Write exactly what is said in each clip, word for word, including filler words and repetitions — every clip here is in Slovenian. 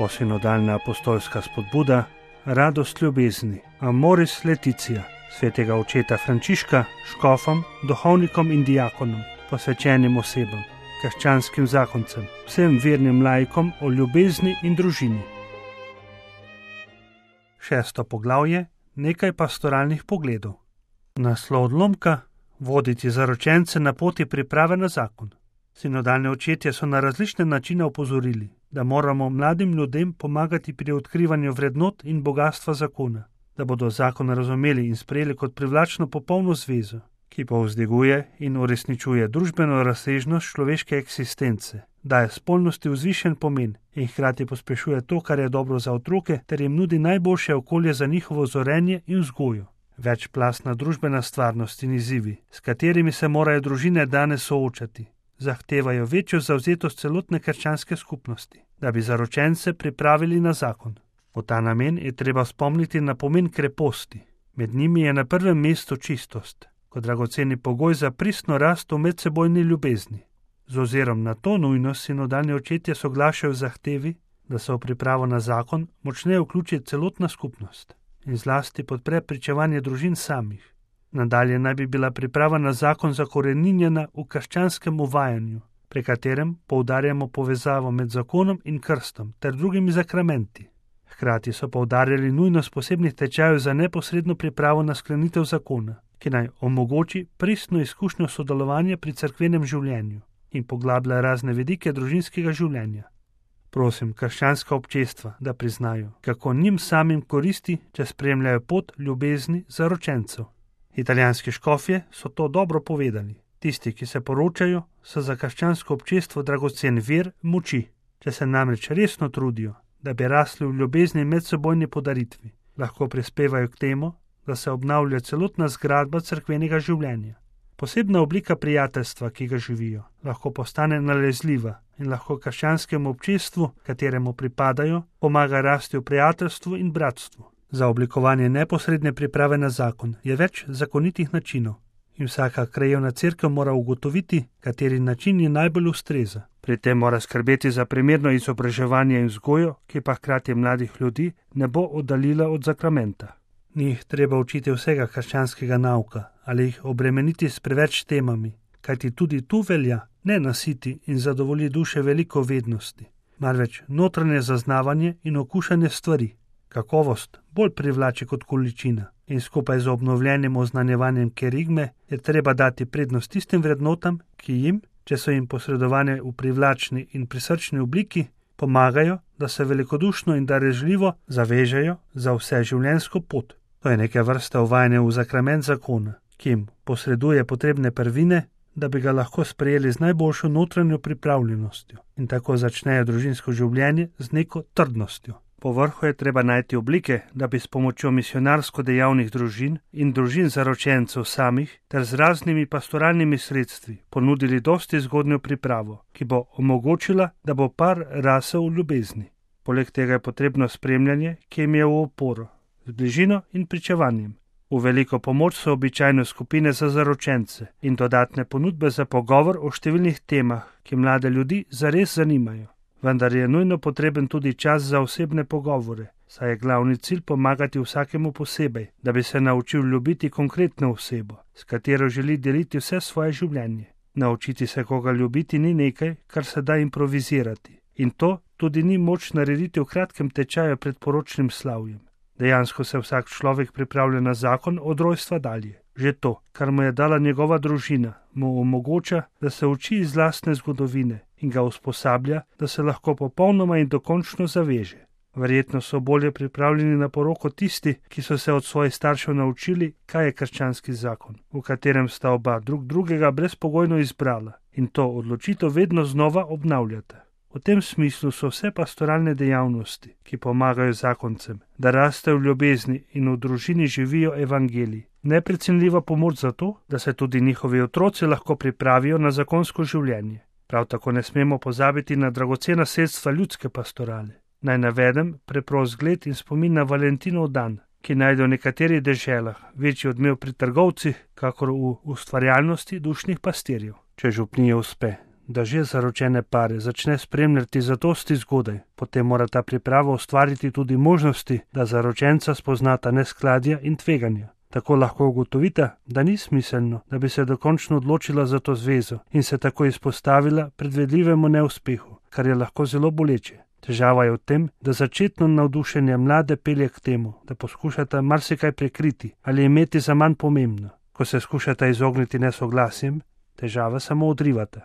Novosinodalna apostolska spodbuda, radost ljubezni, Amoris Laetitia, svetega očeta Frančiška, škofom, duhovnikom in diakonom, posvečenim osebam, krščanskim zakoncem, vsem vernim laikom o ljubezni in družini. Šesto poglavje, nekaj pastoralnih pogledov. Naslov odlomka: voditi zaročence na poti priprave na zakon. Sinodalni očetje so na različne načine opozorili, da moramo mladim ljudem pomagati pri odkrivanju vrednot in bogatstva zakona, da bodo zakon razumeli in sprejeli kot privlačno popolno zvezo, ki povzdiguje in uresničuje družbeno razsežnost človeške eksistence, daje spolnosti vzvišen pomen in hkrati pospešuje to, kar je dobro za otroke, ter jim nudi najboljše okolje za njihovo zorenje in vzgojo. Večplastna družbena stvarnost in izzivi, s katerimi se morajo družine danes soočati, zahtevajo večjo zavzetost celotne krščanske skupnosti, da bi zaročence pripravili na zakon. V ta namen je treba spomniti na pomen kreposti. Med njimi je na prvem mestu čistost, kot dragoceni pogoj za pristno rast v medsebojni ljubezni. Z ozirom na to nujnost sinodalni očetje soglašajo v zahtevi, da se v pripravo na zakon močneje vključi celotna skupnost in zlasti podpre pričevanje družin samih. Nadalje naj bi bila priprava na zakon zakoreninjena v krščanskem uvajanju, pri katerem poudarjamo povezavo med zakonom in krstom ter drugimi zakramenti. Hkrati so poudarjali nujnost posebnih tečajev za neposredno pripravo na sklenitev zakona, ki naj omogoči pristno izkušnjo sodelovanja pri cerkvenem življenju in poglablja razne vidike družinskega življenja. Prosim krščanska občestva, da priznajo, kako njim samim koristi, če spremljajo pot ljubezni zaročencev. Italijanski škofje so to dobro povedali. Tisti, ki se poročajo, so za krščansko občestvo dragocen vir moči. Če se namreč resno trudijo, da bi rasli v ljubezni in medsebojni podaritvi, lahko prispevajo k temu, da se obnavlja celotna zgradba cerkvenega življenja. Posebna oblika prijateljstva, ki ga živijo, lahko postane nalezljiva in lahko krščanskemu občestvu, kateremu pripadajo, pomaga rasti v prijateljstvu in bratstvu. Za oblikovanje neposredne priprave na zakon je več zakonitih načinov in vsaka krajevna cerkev mora ugotoviti, kateri način je najbolj ustreza. Pri tem mora skrbeti za primerno izobraževanje in vzgojo, ki pa hkrati mladih ljudi ne bo oddaljila od zakramenta. Ni jih treba učiti vsega krščanskega nauka ali jih obremeniti s preveč temami, kajti tudi tu velja ne nasiti in zadovolji duše veliko vednosti, marveč notranje zaznavanje in okušanje stvari. Kakovost bolj privlači kot količina in skupaj z obnovljenim oznanjevanjem kerigme je treba dati prednost tistim vrednotam, ki jim, če so jim posredovane v privlačni in prisrčni obliki, pomagajo, da se velikodušno in darežljivo zavežejo za vse življenjsko pot. To je neke vrste uvajanje v zakrament zakona, ki jim posreduje potrebne prvine, da bi ga lahko sprejeli z najboljšo notranjo pripravljenostjo in tako začnejo družinsko življenje z neko trdnostjo. Povrhu je treba najti oblike, da bi s pomočjo misionarsko dejavnih družin in družin zaročencev samih ter z raznimi pastoralnimi sredstvi ponudili dosti zgodnjo pripravo, ki bo omogočila, da bo par rasel v ljubezni. Poleg tega je potrebno spremljanje, ki jim je v oporo, z bližino in pričevanjem. V veliko pomoč so običajno skupine za zaročence in dodatne ponudbe za pogovor o številnih temah, ki mlade ljudi zares zanimajo. Vendar je nujno potreben tudi čas za osebne pogovore, saj je glavni cilj pomagati vsakemu posebej, da bi se naučil ljubiti konkretno osebo, s katero želi deliti vse svoje življenje. Naučiti se koga ljubiti ni nekaj, kar se da improvizirati. In to tudi ni moč narediti v kratkem tečaju pred poročnim slavjem. Dejansko se vsak človek pripravlja na zakon od rojstva dalje. Že to, kar mu je dala njegova družina, mu omogoča, da se uči iz lastne zgodovine in ga usposablja, da se lahko popolnoma in dokončno zaveže. Verjetno so bolje pripravljeni na poroko tisti, ki so se od svojih staršev naučili, kaj je krščanski zakon, v katerem sta oba drug drugega brezpogojno izbrala in to odločitev vedno znova obnavljata. V tem smislu so vse pastoralne dejavnosti, ki pomagajo zakoncem, da rastejo v ljubezni in v družini živijo evangelij, neprecenljiva pomoč za to, da se tudi njihovi otroci lahko pripravijo na zakonsko življenje. Prav tako ne smemo pozabiti na dragocena sredstva ljudske pastorale. Naj navedem preprost zgled in spomin na Valentinov dan, ki najde v nekaterih deželah večji odmev pri trgovcih, kakor v ustvarjalnosti dušnih pastirjev. Če župniji uspe, da že zaročene pare začne spremljati zadosti zgodaj, potem mora ta priprava ustvariti tudi možnosti, da zaročenca spoznata neskladja in tveganja. Tako lahko ugotovite, da ni smiselno, da bi se dokončno odločila za to zvezo in se tako izpostavila predvidljivemu neuspehu, kar je lahko zelo boleče. Težava je v tem, da začetno navdušenje mlade pelje k temu, da poskušata marsikaj prekriti ali imeti za manj pomembno. Ko se skušata izogniti nesoglasjem, težava samo odrivata.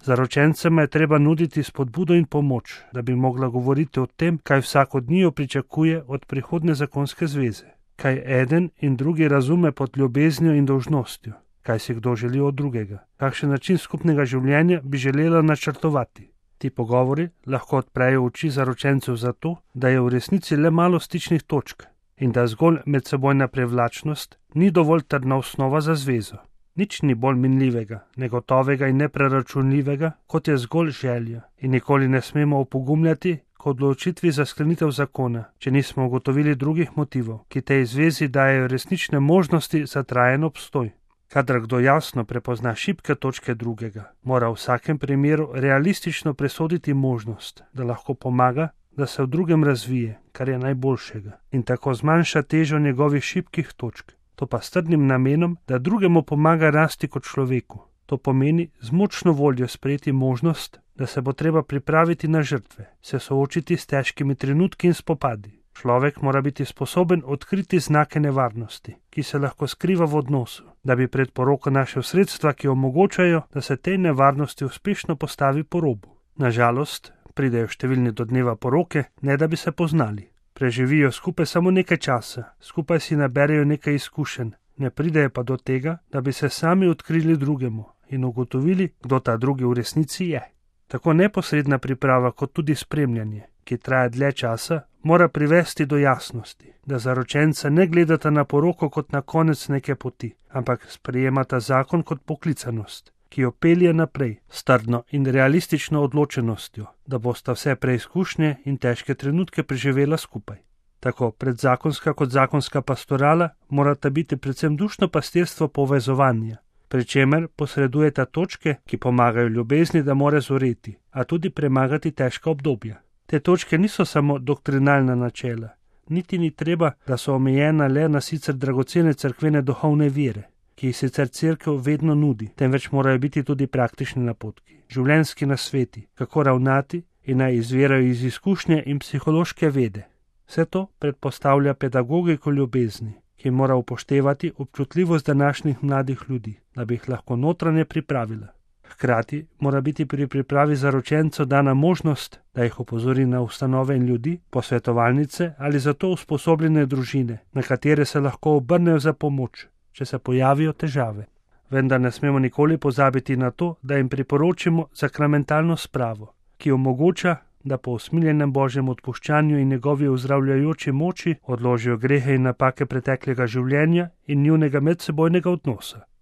Zaročencema je treba nuditi spodbudo in pomoč, da bi mogla govoriti o tem, kaj vsak od njiju pričakuje od prihodne zakonske zveze. Kaj eden in drugi razume pod ljubeznijo in dolžnostjo, kaj si kdo želi od drugega, kakšen način skupnega življenja bi želela načrtovati. Ti pogovori lahko odprejo oči zaročencev za to, da je v resnici le malo stičnih točk in da zgolj medsebojna privlačnost ni dovolj trdna osnova za zvezo. Nič ni bolj minljivega, negotovega in nepreračunljivega, kot je zgolj želja, in nikoli ne smemo opogumljati k odločitvi za sklenitev zakona, če nismo ugotovili drugih motivov, ki tej zvezi dajejo resnične možnosti za trajen obstoj. Kadar kdo jasno prepozna šibke točke drugega, mora v vsakem primeru realistično presoditi možnost, da lahko pomaga, da se v drugem razvije, kar je najboljšega, in tako zmanjša težo njegovih šibkih točk. To pa s trdnim namenom, da drugemu pomaga rasti kot človeku. To pomeni z močno voljo sprejeti možnost, da se bo treba pripraviti na žrtve, se soočiti s težkimi trenutki in spopadi. Človek mora biti sposoben odkriti znake nevarnosti, ki se lahko skriva v odnosu, da bi pred poroko našel sredstva, ki omogočajo, da se tej nevarnosti uspešno postavi po robu. Nažalost, pridejo številni do dneva poroke, ne da bi se poznali. Preživijo skupaj samo nekaj časa, skupaj si naberejo nekaj izkušenj, ne pridejo pa do tega, da bi se sami odkrili drugemu in ugotovili, kdo ta drugi v resnici je. Tako neposredna priprava kot tudi spremljanje, ki traja dlje časa, mora privesti do jasnosti, da zaročenca ne gledata na poroko kot na konec neke poti, ampak sprejemata zakon kot poklicanost, ki jo pelje naprej s trdno in realistično odločenostjo, da bosta vse preizkušnje in težke trenutke preživela skupaj. Tako predzakonska kot zakonska pastorala morata biti predvsem dušno pastirstvo povezovanja, pri čemer posredujeta točke, ki pomagajo ljubezni, da more zoreti, a tudi premagati težka obdobja. Te točke niso samo doktrinalna načela, niti ni treba, da so omejena le na sicer dragocene cerkvene duhovne vire, ki jih sicer cerkev vedno nudi, temveč morajo biti tudi praktični napotki, življenjski nasveti, kako ravnati in naj izvirajo iz izkušnje in psihološke vede. Vse to predpostavlja pedagogiko ljubezni, ki mora upoštevati občutljivost današnjih mladih ljudi, da bi jih lahko notranje pripravila. Hkrati mora biti pri pripravi zaročencev dana možnost, da jih opozori na ustanove in ljudi, posvetovalnice ali za to usposobljene družine, na katere se lahko obrnejo za pomoč, če se pojavijo težave. Vendar ne smemo nikoli pozabiti na to, da jim priporočimo sakramentalno spravo, ki omogoča, da po usmiljenem Božjem odpuščanju in njegovi ozdravljajoči moči odložijo grehe in napake preteklega življenja in njunega medsebojnega odnosa.